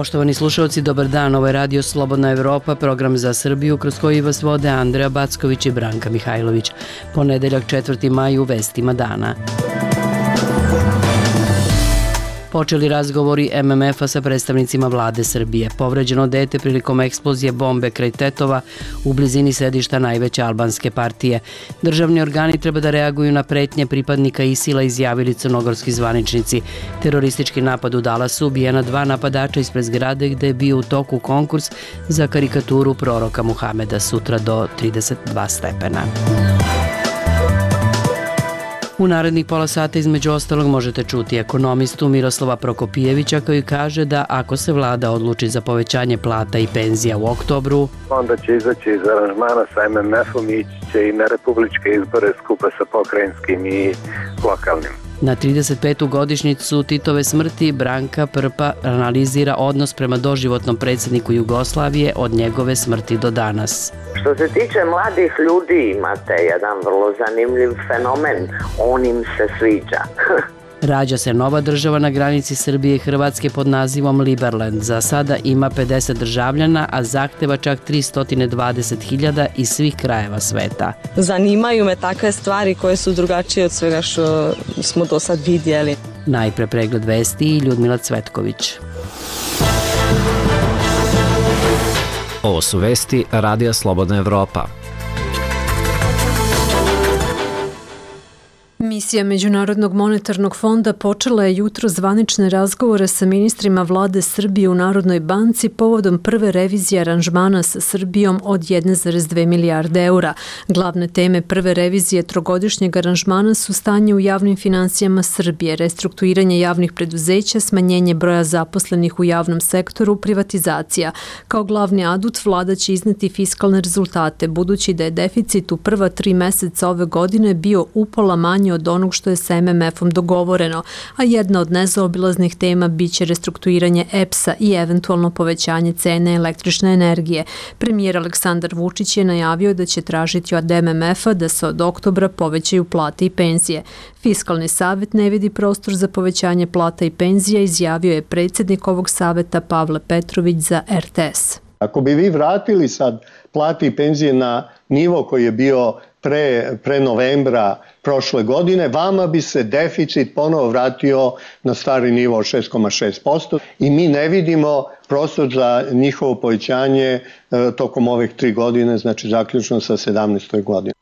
Poštovani slušalci, dobar dan. Ovo je Radio Slobodna Evropa, program za Srbiju kroz koji vas vode Andreja Backović i Branka Mihajlović. Ponedeljak 4. maj u vestima dana. Počeli razgovori MMF-a sa predstavnicima vlade Srbije. Povređeno dete prilikom eksplozije bombe kraj Tetova u blizini sedišta najveće albanske partije. Državni organi treba da reaguju na pretnje pripadnika ISIL-a, izjavili crnogorski zvaničnici. Teroristički napad u Dallasu, ubijena 2 napadača ispred zgrade gde je bio u toku konkurs za karikaturu proroka Muhameda, sutra do 32 stepena. U narednih pola sata između ostalog možete čuti ekonomistu Miroslava Prokopijevića koji kaže da ako se vlada odluči za povećanje plata i penzija u oktobru, onda će izaći iz aranžmana sa MMF-om i ići će i na republičke izbore skupa sa pokrajinskim i lokalnim. Na 35. godišnjicu Titove smrti Branka Prpa analizira odnos prema doživotnom predsjedniku Jugoslavije od njegove smrti do danas. Što se tiče mladih ljudi, imate jedan vrlo zanimljiv fenomen. On im se sviđa. Rađa se nova država na granici Srbije i Hrvatske pod nazivom Liberland. Za sada ima 50 državljana, a zahteva čak 320.000 iz svih krajeva sveta. Zanimaju me takve stvari koje su drugačije od svega što smo do sad vidjeli. Najpre pregled vesti i Ljudmila Cvetković. Ovo su vesti Radija Slobodna Evropa. Misija Međunarodnog monetarnog fonda počela je jutro zvanične razgovore sa ministrima vlade Srbije u Narodnoj banci povodom prve revizije aranžmana sa Srbijom od 1,2 milijarde eura. Glavne teme prve revizije trogodišnjeg aranžmana su stanje u javnim finansijama Srbije, restrukturiranje javnih preduzeća, smanjenje broja zaposlenih u javnom sektoru, privatizacija. Kao glavni adut vlada će izneti fiskalne rezultate, budući da je deficit u prva 3 meseca ove godine bio upola manji od onog što je sa MMF-om dogovoreno, a jedna od nezaobilaznih tema biće restrukturiranje EPS-a i eventualno povećanje cene električne energije. Premijer Aleksandar Vučić je najavio da će tražiti od MMF-a da se od oktobra povećaju plate i penzije. Fiskalni savet ne vidi prostor za povećanje plata i penzija, izjavio je predsjednik ovog saveta Pavle Petrović za RTS. Ako bi vi vratili sad plate i penzije na nivo koji je bio pre novembra prošle godine, vama bi se deficit ponovo vratio na stari nivo od 6,6% i mi ne vidimo prostor za njihovo povećanje tokom ovih 3 godine, znači zaključno sa 17. godinom.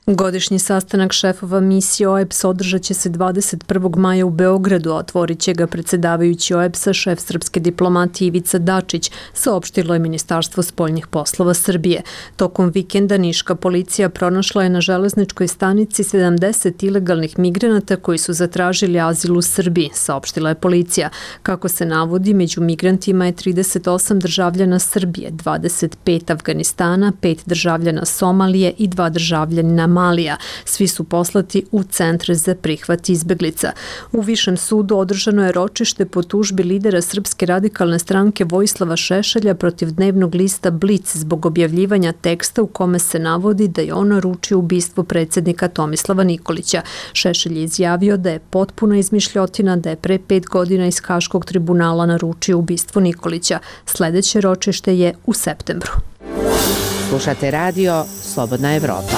Godišnji sastanak šefova misije OEBS održat će se 21. maja u Beogradu, a otvorit će ga predsjedavajući OEBS-a šef srpske diplomatije Ivica Dačić, saopštilo je Ministarstvo spoljnih poslova Srbije. Tokom vikenda niška policija pronašla je na železničkoj stanici 70 ilegalnih migranata koji su zatražili azil u Srbiji, saopštila je policija. Kako se navodi, među migrantima je 38 državljana Srbije, 25 Afganistana, 5 državljana Somalije i 2 državljanina Malija. Svi su poslati u centre za prihvat izbeglica. U Višem sudu održano je ročište po tužbi lidera Srpske radikalne stranke Vojislava Šešelja protiv dnevnog lista Blic zbog objavljivanja teksta u kome se navodi da je on naručio ubistvo predsjednika Tomislava Nikolića. Šešelj je izjavio da je potpuna izmišljotina da je pre 5 godina iz Haškog tribunala naručio ubistvo Nikolića. Sljedeće ročište je u septembru. Slušate radio Slobodna Evropa.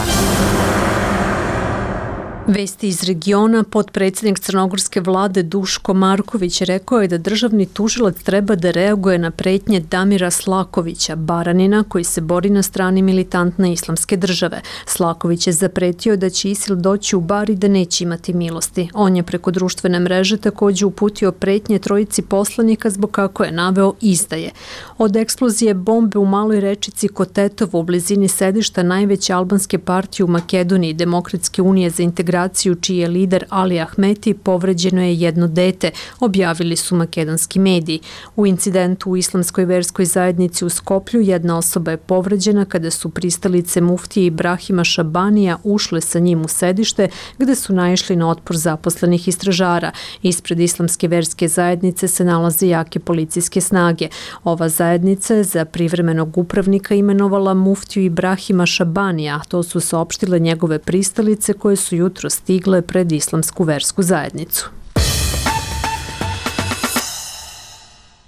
Vesti iz regiona. Potpredsjednik crnogorske vlade Duško Marković rekao je da državni tužilac treba da reaguje na pretnje Damira Slakovića, Baranina, koji se bori na strani militantne islamske države. Slaković je zapretio da će ISIL doći u Bar i da neće imati milosti. On je preko društvene mreže također uputio pretnje trojici poslanika zbog, kako je naveo, izdaje. Od eksplozije bombe u maloj rečici kod Tetova u blizini sedišta najveće albanske partije u Makedoniji, Demokratske unije za integraciju, čiji je lider Ali Ahmeti, povređeno je jedno dete, objavili su makedonski mediji. U incidentu u islamskoj verskoj zajednici u Skoplju jedna osoba je povređena kada su pristalice muftije Ibrahima Šabanija ušle sa njim u sedište gde su naišli na otpor zaposlenih istražara. Ispred islamske verske zajednice se nalaze jake policijske snage. Ova zajednica je za privremenog upravnika imenovala muftiju Ibrahima Šabanija, to su saopštile njegove pristalice koje su jutro stigle pred islamsku versku zajednicu.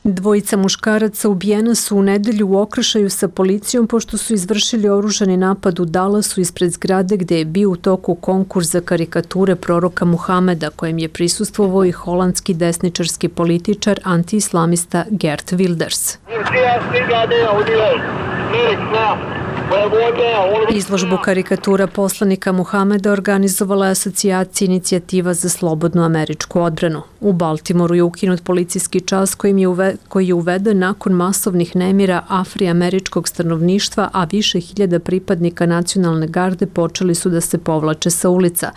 Dvojica muškaraca ubijena su u nedelju u okršaju sa policijom pošto su izvršili oružani napad u Dallasu ispred zgrade gde je bio u toku konkurs za karikature proroka Muhameda kojem je prisustvovao i holandski desničarski političar antiislamista Geert Wilders. Izložbu karikatura poslanika Muhameda organizovala je asocijacija Inicijativa za slobodnu američku odbranu. U Baltimoru je ukinut policijski čas koji je uveden nakon masovnih nemira afroameričkog stanovništva, a više hiljada pripadnika nacionalne garde počeli su da se povlače sa ulica.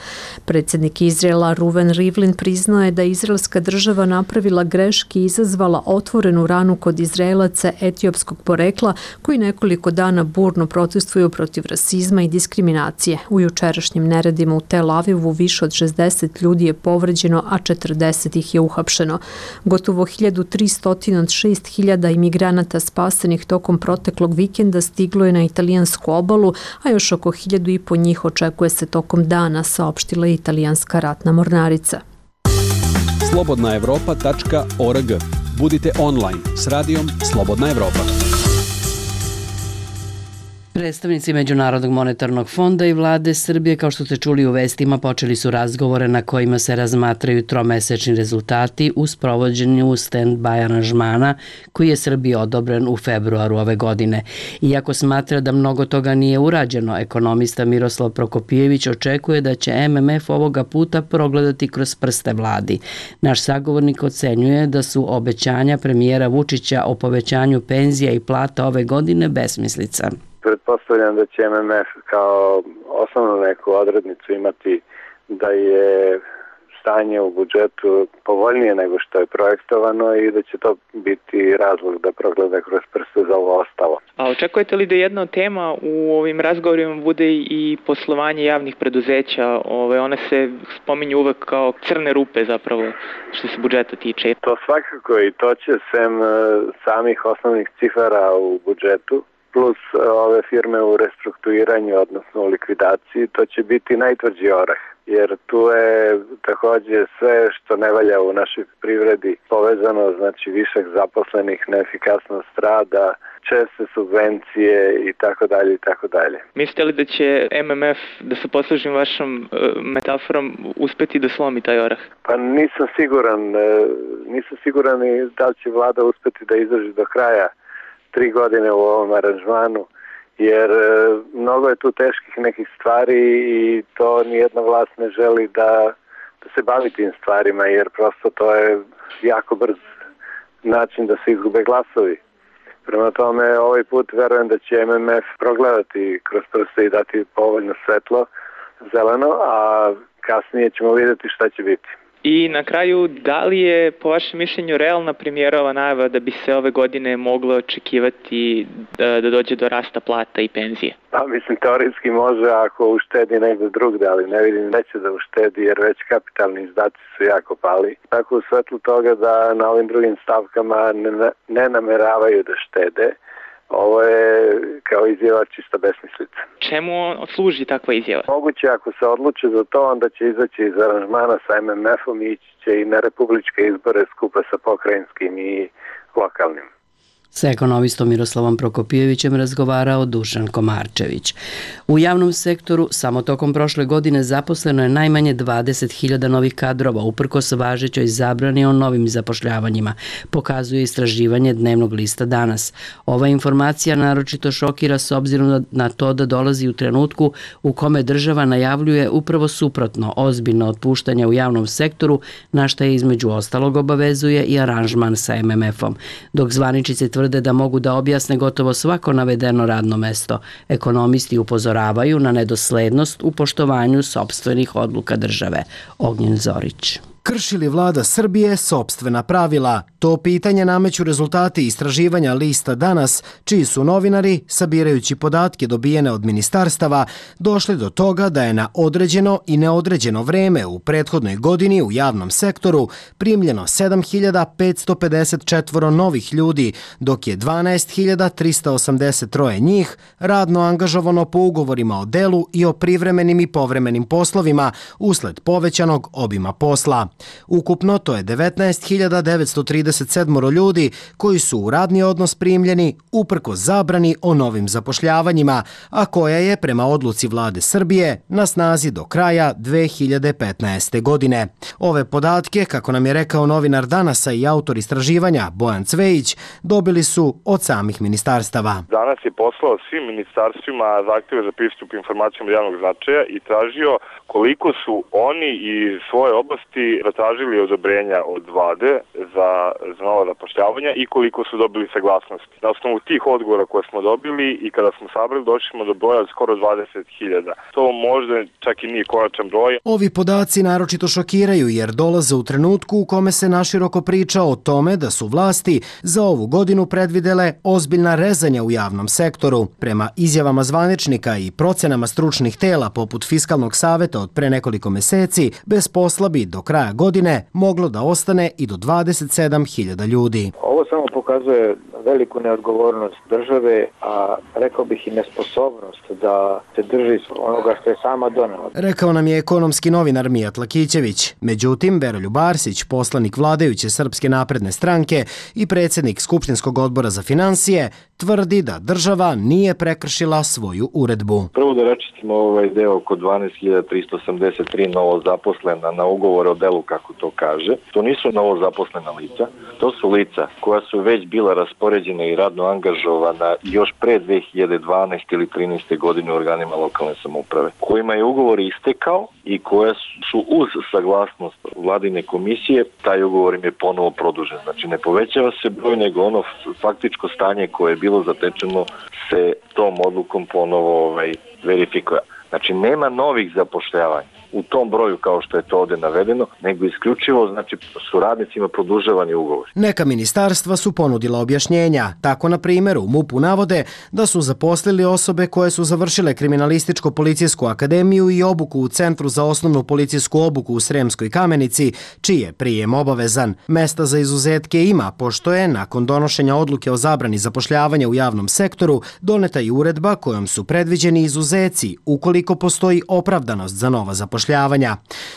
Predsjednik Izraela Reuven Rivlin priznao je da izraelska država napravila greške i izazvala otvorenu ranu kod Izraelaca etiopskog porekla koji nekoliko dana burno protestuju protiv rasizma i diskriminacije. U jučerašnjim neredima u Tel Avivu više od 60 ljudi je povređeno, a 40 ih je uhapšeno. Gotovo 1300 od 6000 imigranata spasenih tokom proteklog vikenda stiglo je na italijansku obalu, a još oko 1500 njih očekuje se tokom dana, saopštila je italijanska ratna mornarica. slobodnaevropa.org. Budite online s radijom Slobodna Evropa. Predstavnici Međunarodnog monetarnog fonda i vlade Srbije, kao što ste čuli u vestima, počeli su razgovore na kojima se razmatraju tromesečni rezultati u sprovođenju stand-by aranžmana koji je Srbiji odobren u februaru ove godine. Iako smatra da mnogo toga nije urađeno, ekonomista Miroslav Prokopijević očekuje da će MMF ovoga puta progledati kroz prste vladi. Naš sagovornik ocenjuje da su obećanja premijera Vučića o povećanju penzija i plata ove godine besmislica. Pretpostavljam da će MMF kao osnovnu neku odrednicu imati da je stanje u budžetu povoljnije nego što je projektovano i da će to biti razlog da progleda kroz prste za ovo ostalo. A očekujete li da jedna od tema u ovim razgovorima bude i poslovanje javnih preduzeća? One se spominju uvek kao crne rupe zapravo što se budžeta tiče. To svakako i to će sem samih osnovnih cifara u budžetu plus ove firme u restrukturiranju, odnosno u likvidaciji, to će biti najtvrđi orah. Jer tu je također sve što ne valja u našoj privredi povezano, znači višak zaposlenih, neefikasnost rada, česte subvencije i tako dalje i tako dalje. Mislite li da će MMF, da se poslužim vašom metaforom, uspeti da slomi taj orah? Pa nisam siguran i da li će vlada uspeti da izdrži do kraja 3 godine u ovom aranžmanu, jer mnogo je tu teških nekih stvari i to nijedna vlast ne želi da se bavi tim stvarima, jer prosto to je jako brz način da se izgube glasovi. Prema tome, ovaj put verujem da će MMF progledati kroz prste i dati povoljno svetlo, zeleno, a kasnije ćemo vidjeti šta će biti. I na kraju, da li je po vašem mišljenju realna premijerova najava da bi se ove godine moglo očekivati da dođe do rasta plata i penzije? Pa mislim, teorijski može ako uštedi negdje drugde, ali ne vidim da će da uštedi jer već kapitalni izdaci su jako pali. Tako u svetlu toga da na ovim drugim stavkama ne nameravaju da štede. Ovo je kao izjava čista besmislica. Čemu služi takva izjava? Moguće ako se odluče za to, onda će izaći iz aranžmana sa MMF-om i ići će i na republičke izbore skupa sa pokrajinskim i lokalnim. Sa ekonomistom Miroslavom Prokopijevićem razgovarao Dušan Komarčević. U javnom sektoru samo tokom prošle godine zaposleno je najmanje 20.000 novih kadrova, uprkos važećoj zabrani o novim zapošljavanjima, pokazuje istraživanje dnevnog lista Danas. Ova informacija naročito šokira s obzirom na to da dolazi u trenutku u kome država najavljuje upravo suprotno, ozbiljno otpuštanje u javnom sektoru, na šta je između ostalog obavezuje i aranžman sa MMF-om. Dok zvaničice tvrde da mogu da objasne gotovo svako navedeno radno mesto, ekonomisti upozoravaju na nedoslednost u poštovanju sopstvenih odluka države. Ognjen Zorić. Krši li vlada Srbije sopstvena pravila? To pitanje nameću rezultati istraživanja lista Danas, čiji su novinari, sabirajući podatke dobijene od ministarstava, došli do toga da je na određeno i neodređeno vreme u prethodnoj godini u javnom sektoru primljeno 7.554 novih ljudi, dok je 12.383 njih radno angažovano po ugovorima o delu i o privremenim i povremenim poslovima usled povećanog obima posla. Ukupno to je 19.937 ljudi koji su u radni odnos primljeni uprkos zabrani o novim zapošljavanjima, a koja je prema odluci vlade Srbije na snazi do kraja 2015. godine. Ove podatke, kako nam je rekao novinar Danasa i autor istraživanja Bojan Cvejić, dobili su od samih ministarstava. Danas je poslao svim ministarstvima zahtjeve za pristup informacijama od javnog značaja i tražio koliko su oni iz svoje oblasti zatražili odobrenja od vlade za nova zapošljavanja i koliko su dobili saglasnosti. Na osnovu tih odgovora koje smo dobili i kada smo sabrali, došli smo do broja skoro 20.000. To možda čak i nije konačan broj. Ovi podaci naročito šokiraju jer dolaze u trenutku u kome se naširoko priča o tome da su vlasti za ovu godinu predvidele ozbiljna rezanja u javnom sektoru. Prema izjavama zvaničnika i procenama stručnih tela poput Fiskalnog saveta od pre nekoliko meseci, bez posla bi do kraja godine moglo da ostane i do 27.000 ljudi. Ovo samo pokazuje veliku neodgovornost države, a rekao bih i nesposobnost da se drži onoga što je sama donela. Rekao nam je ekonomski novinar Mijat Lakićević. Međutim, Veroljub Arsić, poslanik vladajuće Srpske napredne stranke i predsjednik Skupštinskog odbora za finansije, tvrdi da država nije prekršila svoju uredbu. Prvo da račistimo ovaj deo oko 12.383 novo zaposlena na ugovore o delu, kako to kaže. To nisu novo zaposlena lica, to su lica koja su već bila raspoređena i radno angažovana još pre 2012. ili 2013. godine u organima lokalne samouprave, kojima je ugovor istekao i koja su uz saglasnost vladine komisije, taj ugovor im je ponovo produžen. Znači ne povećava se broj, nego ono faktičko stanje koje je bilo zatečeno se tom odlukom ponovo verifikuje. Znači nema novih zapošljavanja u tom broju kao što je to ovdje navedeno, nego isključivo znači su radnicima produžavani ugovor. Neka ministarstva su ponudila objašnjenja. Tako, na primjer, u MUP-u navode da su zaposlili osobe koje su završile Kriminalističko-policijsku akademiju i obuku u Centru za osnovnu policijsku obuku u Sremskoj Kamenici, čiji je prijem obavezan. Mesta za izuzetke ima, pošto je, nakon donošenja odluke o zabrani zapošljavanja u javnom sektoru, doneta i uredba kojom su predviđeni izuzeci ukoliko postoji opravdanost za nova zapošljavanja.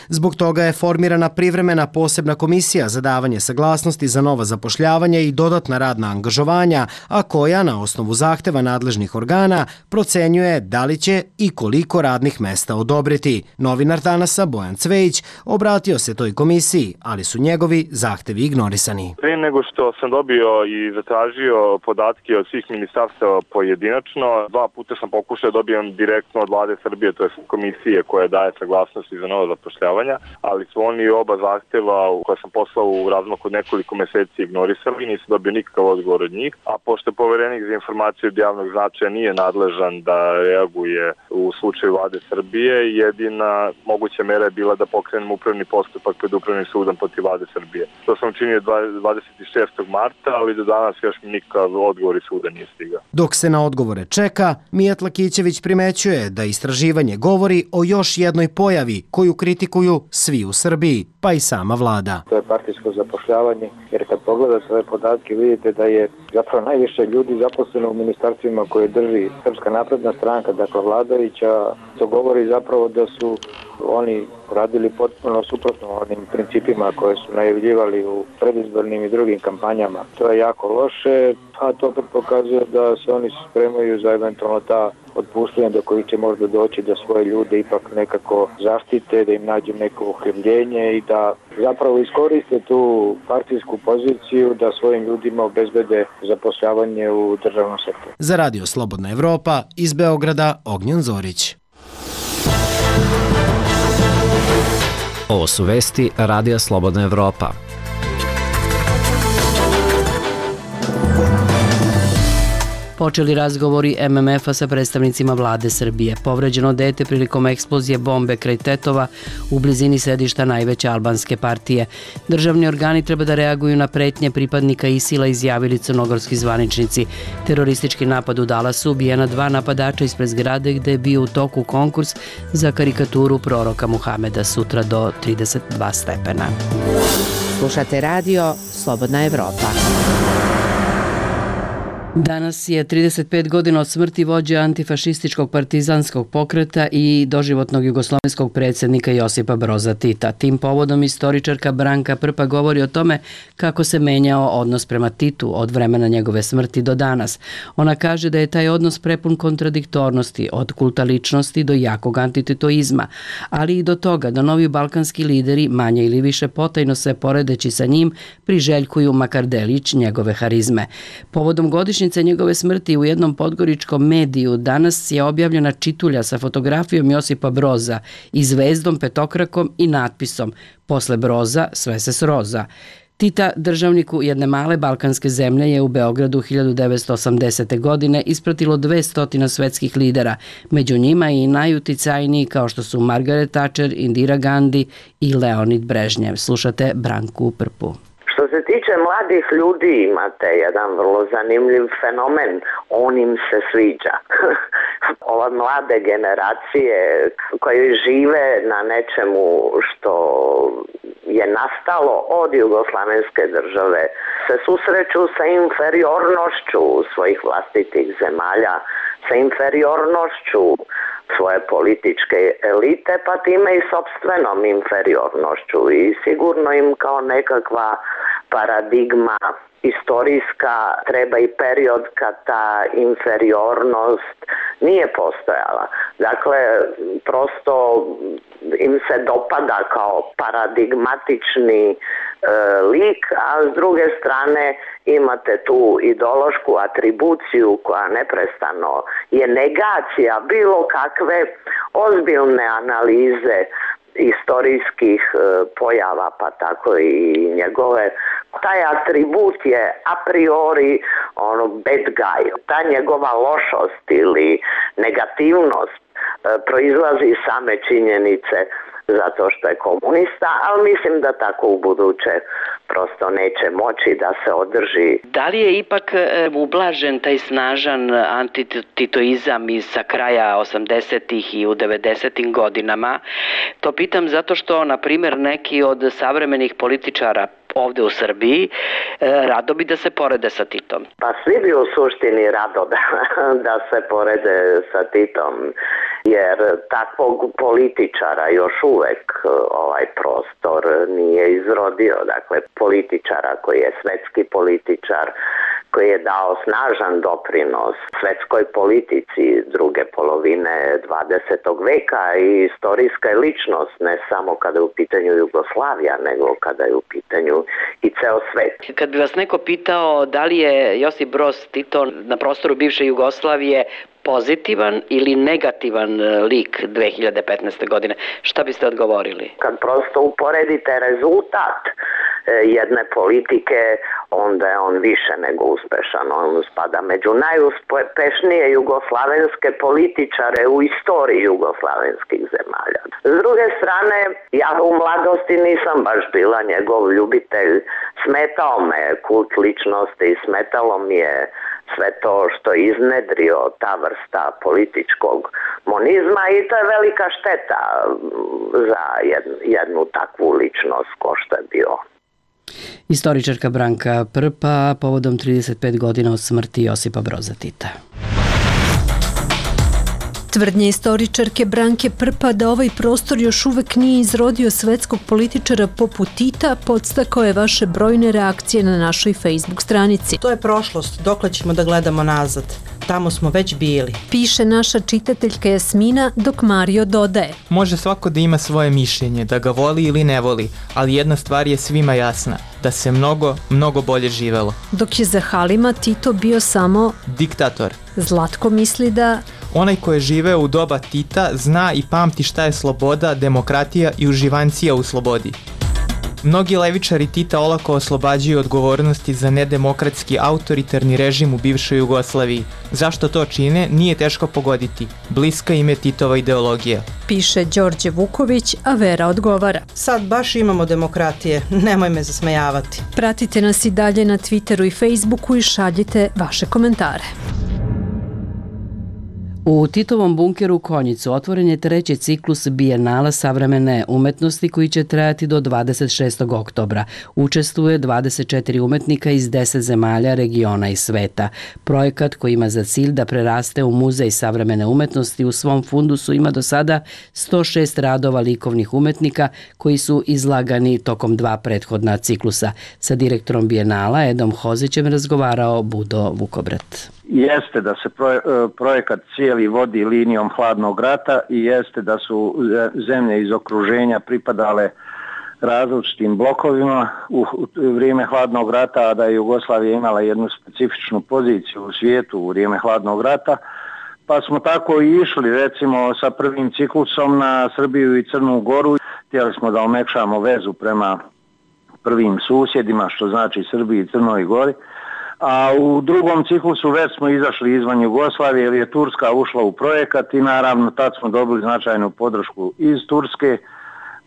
Zbog toga je formirana privremena posebna komisija za davanje saglasnosti za nova zapošljavanja i dodatna radna angažovanja, a koja na osnovu zahteva nadležnih organa procenjuje da li će i koliko radnih mesta odobriti. Novinar Danasa Bojan Cvejić obratio se toj komisiji, ali su njegovi zahtevi ignorisani. Prije nego što sam dobio i zatražio podatke od svih ministarstava pojedinačno, 2 puta sam pokušao da dobijem direktno od vlade Srbije, to je komisije koja daje saglasnost za novo zapošljavanja, ali su oni oba zahteva koja sam poslao u razmaku od nekoliko meseci ignorisali, nisam dobio nikakav odgovor od njih, a pošto poverenik za informaciju od javnog značaja nije nadležan da reaguje u slučaju vlade Srbije, jedina moguća mera je bila da pokrenemo upravni postupak pred upravnim sudom protiv vlade Srbije. To sam učinio 26. marta, ali do danas još nikakav odgovor iz suda nije stigao. Dok se na odgovore čeka, Mijat Lakićević primećuje da istraživanje govori o još jednoj pojavi koju kritikuju svi u Srbiji, pa i sama vlada. To je partijsko zapošljavanje, jer kad pogledate ove podatke vidite da je zapravo najviše ljudi zaposleno u ministarstvima koje drži Srpska napredna stranka, dakle vladajuća. To govori zapravo da su oni radili potpuno suprotno onim principima koje su najavljivali u predizbornim i drugim kampanjama. To je jako loše, a to opet pokazuje da se oni spremaju za eventualno ta otpuštanja do kojih će možda doći da svoje ljude ipak nekako zaštite, da im nađu neko uhljebljenje i da zapravo iskoriste tu partijsku poziciju da svojim ljudima obezbede zapošljavanje u državnom sektoru. Za Radio Slobodna Evropa iz Beograda Ognjen Zorić. Ovo su vesti Radija Slobodna Evropa. Počeli razgovori MMF-a sa predstavnicima vlade Srbije. Povređeno dete prilikom eksplozije bombe kraj Tetova u blizini sedišta najveće albanske partije. Državni organi treba da reaguju na pretnje pripadnika ISIL-a, izjavili crnogorski zvaničnici. Teroristički napad u Dallasu ubijena 2 napadača ispred zgrade gde je bio u toku konkurs za karikaturu proroka Muhameda, sutra do 32 stepena. Slušate radio Slobodna Evropa. Danas je 35 godina od smrti vođe antifašističkog partizanskog pokreta i doživotnog jugoslovenskog predsjednika Josipa Broza Tita. Tim povodom istoričarka Branka Prpa govori o tome kako se menjao odnos prema Titu od vremena njegove smrti do danas. Ona kaže da je taj odnos prepun kontradiktornosti, od kulta ličnosti do jakog antititoizma, ali i do toga da novi balkanski lideri, manje ili više potajno se poredeći sa njim, priželjkuju makar delić njegove harizme. Povodom godišnjice njegove smrti u jednom podgoričkom mediju danas je objavljena čitulja sa fotografijom Josipa Broza i zvezdom petokrakom i natpisom "Posle Broza sve se sroza". Tita, državniku jedne male balkanske zemlje, je u Beogradu 1980. godine ispratilo 200 svetskih lidera, među njima i najuticajniji kao što su Margaret Thatcher, Indira Gandhi i Leonid Brežnjev. Slušate Branku Prpu. Što se tiče mladih ljudi, imate jedan vrlo zanimljiv fenomen, on im se sviđa. Ova mlade generacije koje žive na nečemu što je nastalo od jugoslavenske države se susreću sa inferiornošću svojih vlastitih zemalja, sa inferiornošću svoje političke elite, pa time i sopstvenom inferiornošću, i sigurno im kao nekakva paradigma istorijska treba i period kad ta inferiornost nije postojala. Dakle, prosto im se dopada kao paradigmatični lik, a s druge strane imate tu ideološku atribuciju koja neprestano je negacija bilo kakve ozbiljne analize istorijskih pojava, pa tako i njegove. Taj atribut je a priori bad guy. Ta njegova lošost ili negativnost proizlazi iz same činjenice zato što je komunista, ali mislim da tako u buduće prosto neće moći da se održi. Da li je ipak ublažen taj snažan antititoizam sa kraja 80-ih i u 90-im godinama? To pitam zato što, na primjer, neki od savremenih političara ovde u Srbiji rado bi da se porede sa Titom. Pa svi bi u suštini rado da se porede sa Titom, jer takvog političara još uvek ovaj prostor nije izrodio. Dakle, političara koji je svetski političar, koji je dao snažan doprinos svetskoj politici druge polovine 20. veka i istorijska je ličnost, ne samo kada je u pitanju Jugoslavija, nego kada je u pitanju i ceo svet. Kad bi vas neko pitao da li je Josip Broz Tito na prostoru bivše Jugoslavije pozitivan ili negativan lik 2015. godine, šta biste odgovorili? Kad prosto uporedite rezultat jedne politike, onda je on više nego uspešan. On spada među najuspešnije jugoslavenske političare u istoriji jugoslavenskih zemalja. S druge strane, ja u mladosti nisam baš bila njegov ljubitelj. Smetao me kult ličnosti, smetalo mi je sve to što je iznedrio ta vrsta političkog monizma, i to je velika šteta za jednu takvu ličnost ko što je bio. Istoričarka Branka Prpa povodom 35 godina od smrti Josipa Broza Tita. Tvrdnje istoričarke Branke Prpa da ovaj prostor još uvek nije izrodio svetskog političara poput Tita podstakao je vaše brojne reakcije na našoj Facebook stranici. To je prošlost, dokle ćemo da gledamo nazad. Tamo smo već bili. Piše naša čitateljka Jasmina, dok Mario dodaje: Može svako da ima svoje mišljenje, da ga voli ili ne voli, ali jedna stvar je svima jasna, da se mnogo bolje živelo. Dok je za Halima Tito bio samo diktator. Zlatko misli da onaj ko je živeo u doba Tita zna i pamti šta je sloboda, demokratija i uživancija u slobodi. Mnogi levičari Tita olako oslobađaju odgovornosti za nedemokratski autoritarni režim u bivšoj Jugoslaviji. Zašto to čine, nije teško pogoditi. Bliska im je Titova ideologija. Piše Đorđe Vuković, a Vera odgovara: Sad baš imamo demokratije, nemoj me zasmejavati. Pratite nas i dalje na Twitteru i Facebooku i šaljite vaše komentare. U Titovom bunkeru Konjicu otvoren je treći ciklus Bijenala savremene umetnosti koji će trajati do 26. oktobra. Učestvuje 24 umetnika iz 10 zemalja, regiona i sveta. Projekat koji ima za cilj da preraste u muzej savremene umetnosti u svom fundusu ima do sada 106 radova likovnih umetnika koji su izlagani tokom 2 prethodna ciklusa. Sa direktorom Bijenala Edom Hozićem razgovarao Budo Vukobrat. Jeste da se projekat cijeli vodi linijom hladnog rata i jeste da su zemlje iz okruženja pripadale različitim blokovima u vrijeme hladnog rata, a da je Jugoslavija imala jednu specifičnu poziciju u svijetu u vrijeme hladnog rata, pa smo tako i išli recimo sa prvim ciklusom na Srbiju i Crnu Goru. Htjeli smo da omekšamo vezu prema prvim susjedima, što znači Srbiji i Crnoj Gori. A u drugom ciklusu već smo izašli izvan Jugoslavije jer je Turska ušla u projekat i naravno tad smo dobili značajnu podršku iz Turske,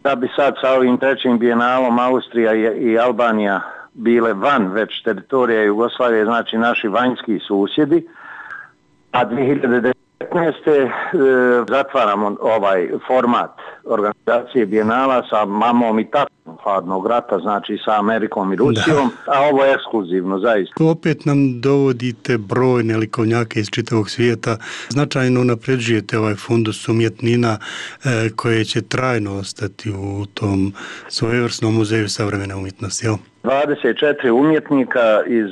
da bi sad sa ovim trećim bijenalom Austrija i Albanija bile van već teritorija Jugoslavije, znači naši vanjski susjedi. A 2019. zatvaramo ovaj format organizacije bijenala sa mamom i tatom hladnog rata, znači sa Amerikom i Rusijom, a ovo je ekskluzivno zaista. Opet nam dovodite brojne likovnjake iz čitavog svijeta, značajno napređujete ovaj fundus umjetnina koje će trajno ostati u tom svojevrsnom muzeju savremene umjetnosti. 24 umjetnika iz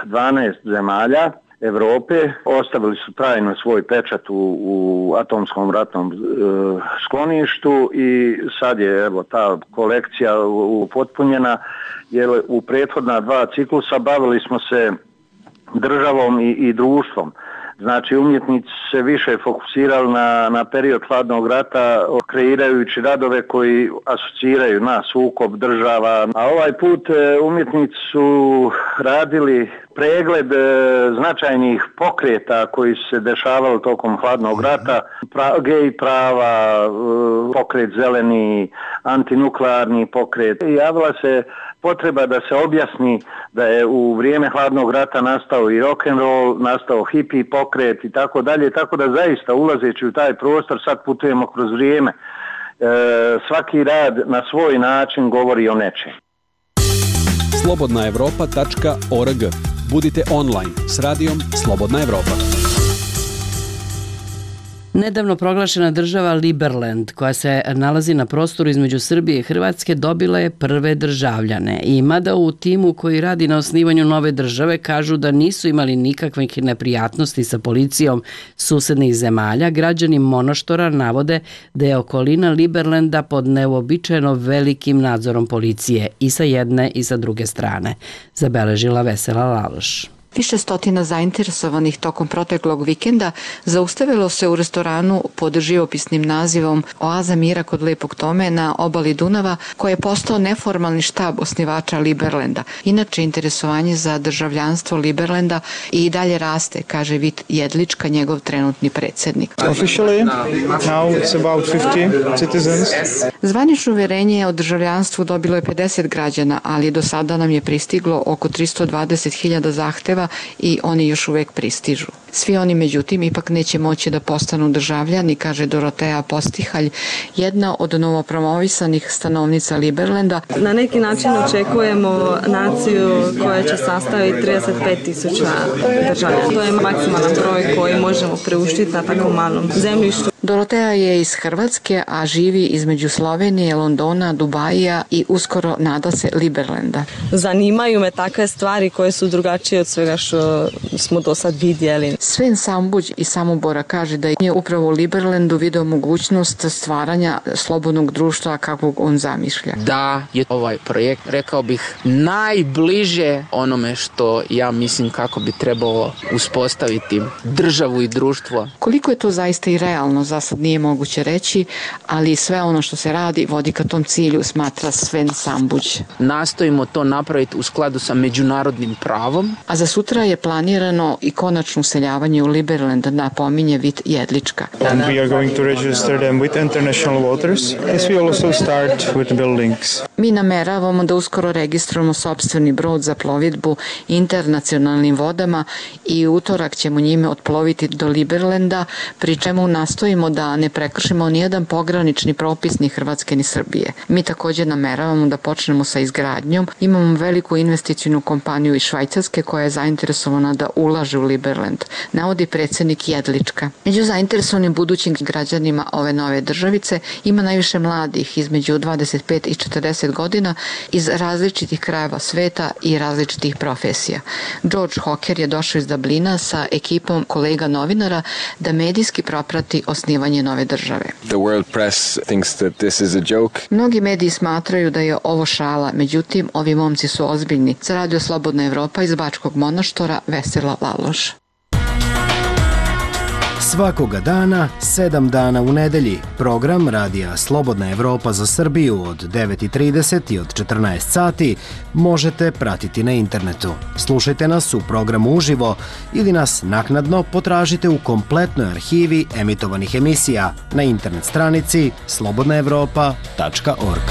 12 zemalja Europe ostavili su trajno svoj pečat u atomskom ratnom skloništu i sad je evo ta kolekcija upotpunjena jer u prethodna 2 ciklusa bavili smo se državom i društvom. Znači umjetnici se više fokusirali na period hladnog rata, kreirajući radove koji asociraju na sukob država. A ovaj put umjetnici su radili pregled značajnih pokreta koji su se dešavali tokom hladnog rata, gej prava, pokret zeleni, antinuklearni pokret. Javila se potreba da se objasni da je u vrijeme hladnog rata nastao i rock'n'roll, nastao hippie pokret i tako dalje, tako da zaista ulazeći u taj prostor sad putujemo kroz vrijeme. Svaki rad na svoj način govori o nečem. Slobodnaevropa.org. Budite online s radijom Slobodna Evropa. Nedavno proglašena država Liberland, koja se nalazi na prostoru između Srbije i Hrvatske, dobila je prve državljane. I mada u timu koji radi na osnivanju nove države kažu da nisu imali nikakvih neprijatnosti sa policijom susednih zemalja, građani Monoštora navode da je okolina Liberlanda pod neuobičajeno velikim nadzorom policije i sa jedne i sa druge strane, zabeležila Vesela Laloš. Više stotina zainteresovanih tokom proteklog vikenda zaustavilo se u restoranu pod živopisnim nazivom Oaza mira kod Lepog Tome na obali Dunava, koji je postao neformalni štab osnivača Liberlanda. Inače, interesovanje za državljanstvo Liberlanda i dalje raste, kaže Vit Jedlička, njegov trenutni predsjednik. Zvanično uverenje o državljanstvu dobilo je 50 građana, ali do sada nam je pristiglo oko 320.000 zahteva i oni još uvek pristižu. Svi oni, međutim, ipak neće moći da postanu državljani, kaže Doroteja Postihalj, jedna od novopromovisanih stanovnica Liberlanda. Na neki način očekujemo naciju koja će sastaviti 35.000 državljana. To je maksimalan broj koji možemo preuštiti na tako malom zemljištu. Doroteja je iz Hrvatske, a živi između Slovenije, Londona, Dubaija i uskoro nada se Liberlanda. Zanimaju me takve stvari koje su drugačije od svega što smo do sad vidjeli. Sven Sambuđ iz Samobora kaže da je upravo u Liberlandu video mogućnost stvaranja slobodnog društva kakvog on zamišlja. Da je ovaj projekt, rekao bih, najbliže onome što ja mislim kako bi trebalo uspostaviti državu i društvo. Koliko je to zaista i realno, za sad nije moguće reći, ali sve ono što se radi vodi ka tom cilju, smatra Sven Sambuđ. Nastojimo to napraviti u skladu sa međunarodnim pravom. A za sutra je planirano i konačno useljavanje u Liberland, napominje Vit Jedlička. And we are going to register them with international waters, as we also start with buildings. Mi nameravamo da uskoro registrujemo sopstveni brod za plovidbu internacionalnim vodama i utorak ćemo njime otploviti do Liberlanda, pri čemu nastojimo da ne prekršimo nijedan pogranični propis ni Hrvatske ni Srbije. Mi također nameravamo da počnemo sa izgradnjom. Imamo veliku investicijnu kompaniju iz Švajcarske koja je zainteresovana da ulaže u Liberland, navodi predsjednik Jedlička. Među zainteresovanim budućim građanima ove nove državice ima najviše mladih između 25 i 40 godina iz različitih krajeva sveta i različitih profesija. George Hocker je došao iz Dublina sa ekipom kolega novinara da medijski proprati osnivanje nove države. The world press thinks that this is a joke. Mnogi mediji smatraju da je ovo šala, međutim, ovi momci su ozbiljni. Za Radio Slobodna Evropa iz Bačkog Monoštora, Vesela Laloš. Svakoga dana, 7 dana u nedelji, program Radija Slobodna Evropa za Srbiju od 9:30 i od 14 sati možete pratiti na internetu. Slušajte nas u programu uživo ili nas naknadno potražite u kompletnoj arhivi emitovanih emisija na internet stranici slobodnaevropa.org.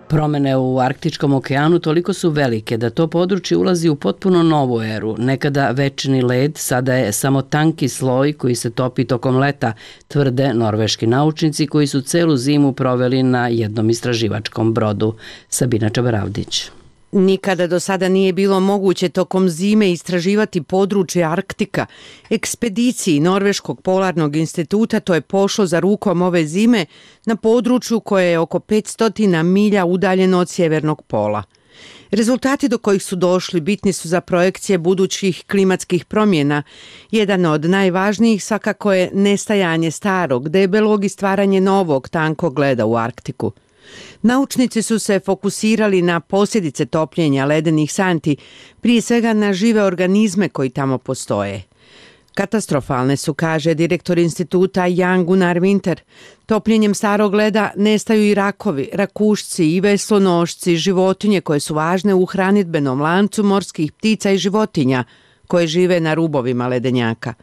Promene u Arktičkom okeanu toliko su velike da to područje ulazi u potpuno novu eru. Nekada večni led sada je samo tanki sloj koji se topi tokom leta, tvrde norveški naučnici koji su celu zimu proveli na jednom istraživačkom brodu. Sabina Čabaravdić. Nikada do sada nije bilo moguće tokom zime istraživati područje Arktika. Ekspediciji Norveškog polarnog instituta to je pošlo za rukom ove zime na području koje je oko 500 milja udaljeno od sjevernog pola. Rezultati do kojih su došli bitni su za projekcije budućih klimatskih promjena. Jedan od najvažnijih svakako je nestajanje starog, debelog i stvaranje novog tankog leda u Arktiku. Naučnici su se fokusirali na posljedice topljenja ledenih santi, prije svega na žive organizme koji tamo postoje. Katastrofalne su, kaže direktor instituta Jan Gunnar Winter. Topljenjem starog leda nestaju i rakovi, rakušci i veslonošci, životinje koje su važne u hranidbenom lancu morskih ptica i životinja koje žive na rubovima ledenjaka.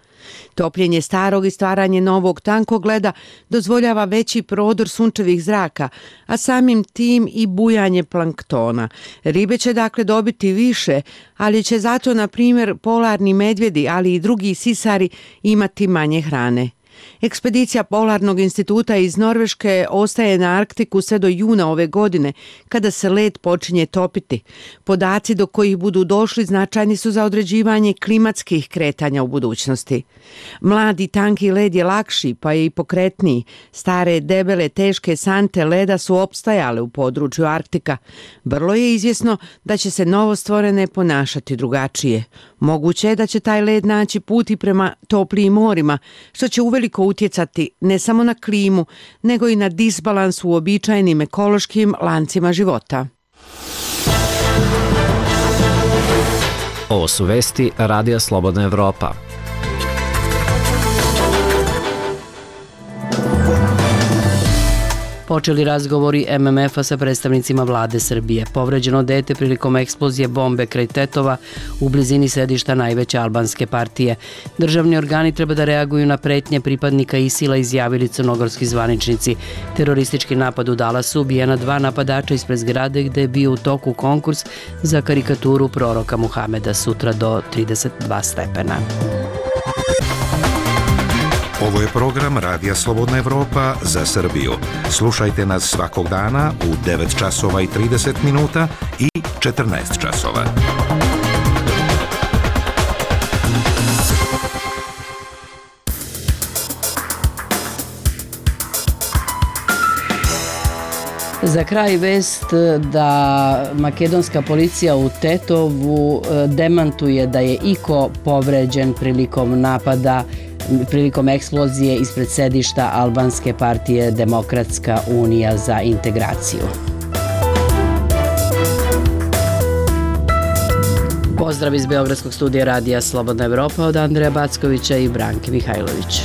Topljenje starog i stvaranje novog tankog leda dozvoljava veći prodor sunčevih zraka, a samim tim i bujanje planktona. Ribe će dakle dobiti više, ali će zato, na primjer, polarni medvjedi, ali i drugi sisari imati manje hrane. Ekspedicija Polarnog instituta iz Norveške ostaje na Arktiku sve do juna ove godine, kada se led počinje topiti. Podaci do kojih budu došli značajni su za određivanje klimatskih kretanja u budućnosti. Mladi tanki led je lakši, pa je i pokretniji. Stare, debele, teške sante leda su opstajale u području Arktika. Vrlo je izvjesno da će se novostvorene ponašati drugačije. Moguće je da će taj led naći put i prema toplijim morima, što će uveliko utjecati ne samo na klimu, nego i na disbalans u uobičajenim ekološkim lancima života. Ovo su vesti Radija Slobodna Evropa. Počeli razgovori MMF-a sa predstavnicima vlade Srbije. Povređeno dete prilikom eksplozije bombe kraj Tetova u blizini sedišta najveće albanske partije. Državni organi treba da reaguju na pretnje pripadnika ISIL-a, izjavili crnogorski zvaničnici. Teroristički napad u Dallasu, ubijena 2 napadača ispred zgrade gde je bio u toku konkurs za karikaturu proroka Muhameda, sutra do 32 stepena. Ovo je program Radija Slobodna Evropa za Srbiju. Slušajte nas svakog dana u 9 časova i 30 minuta i 14 časova. Za kraj vest da makedonska policija u Tetovu demantuje da je iko povređen prilikom napada, prilikom eksplozije ispred sedišta albanske partije Demokratska unija za integraciju. Pozdrav iz Beogradskog studija Radija Slobodna Evropa od Andreja Backovića i Branke Mihajlović.